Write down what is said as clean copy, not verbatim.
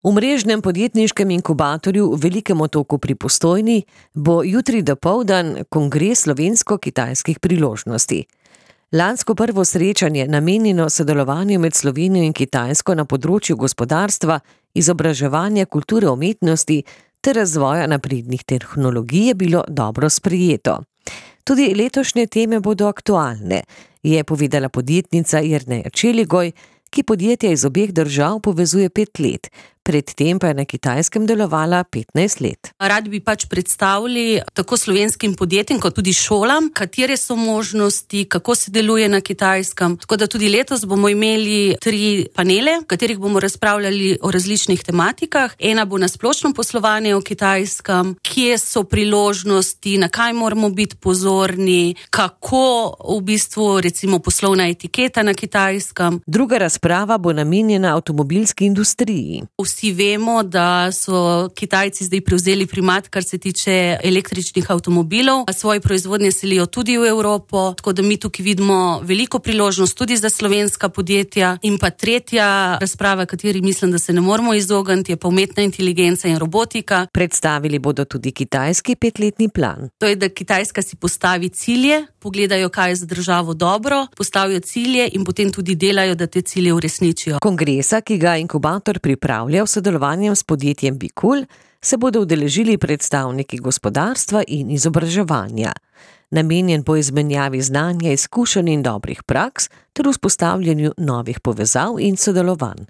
V mrežnem podjetniškem inkubatorju v Velikem Otoku pri Postojni bo jutri dopoldan kongres slovensko-kitajskih priložnosti. Lansko prvo srečanje, namenjeno sodelovanju med Slovenijo in Kitajsko na področju gospodarstva, izobraževanja, kulture, umetnosti ter razvoja naprednih tehnologij, je bilo dobro sprejeto. Tudi letošnje teme bodo aktualne, je povedala podjetnica Jerneja Čeligoj, ki podjetja iz obeh držav povezuje 5 let, predtem pa je na Kitajskem delovala 15 let. Radi bi predstavili tako slovenskim podjetjem, kot tudi šolam, katere so možnosti, kako se deluje na Kitajskem. Tako da tudi letos bomo imeli 3 panele, v katerih bomo razpravljali o različnih tematikah. Ena bo na splošno poslovanje v Kitajskem, kje so priložnosti, na kaj moramo biti pozorni, kako v bistvu recimo poslovna etiketa na Kitajskem. Druga razprava bo namenjena avtomobilski industriji. Vsi vemo, da so Kitajci zdaj prevzeli primat, kar se tiče električnih avtomobilov. Svoje proizvodnje selijo tudi v Evropo, tako da mi tukaj vidimo veliko priložnost tudi za slovenska podjetja. In pa tretja razprava, kateri mislim, da se ne moramo izogniti, je pa umetna inteligenca in robotika. Predstavili bodo tudi kitajski 5-letni plan. To je, da Kitajska si postavi cilje, pogledajo, kaj je za državo dobro, postavijo cilje in potem tudi delajo, da te cilje uresničijo. Kongresa, ki ga inkubator pripravlja v sodelovanju s podjetjem Bikul, se bodo udeležili predstavniki gospodarstva in izobraževanja. Namenjen bo izmenjavi znanja, izkušenj in dobrih praks ter vzpostavljanju novih povezav in sodelovanj.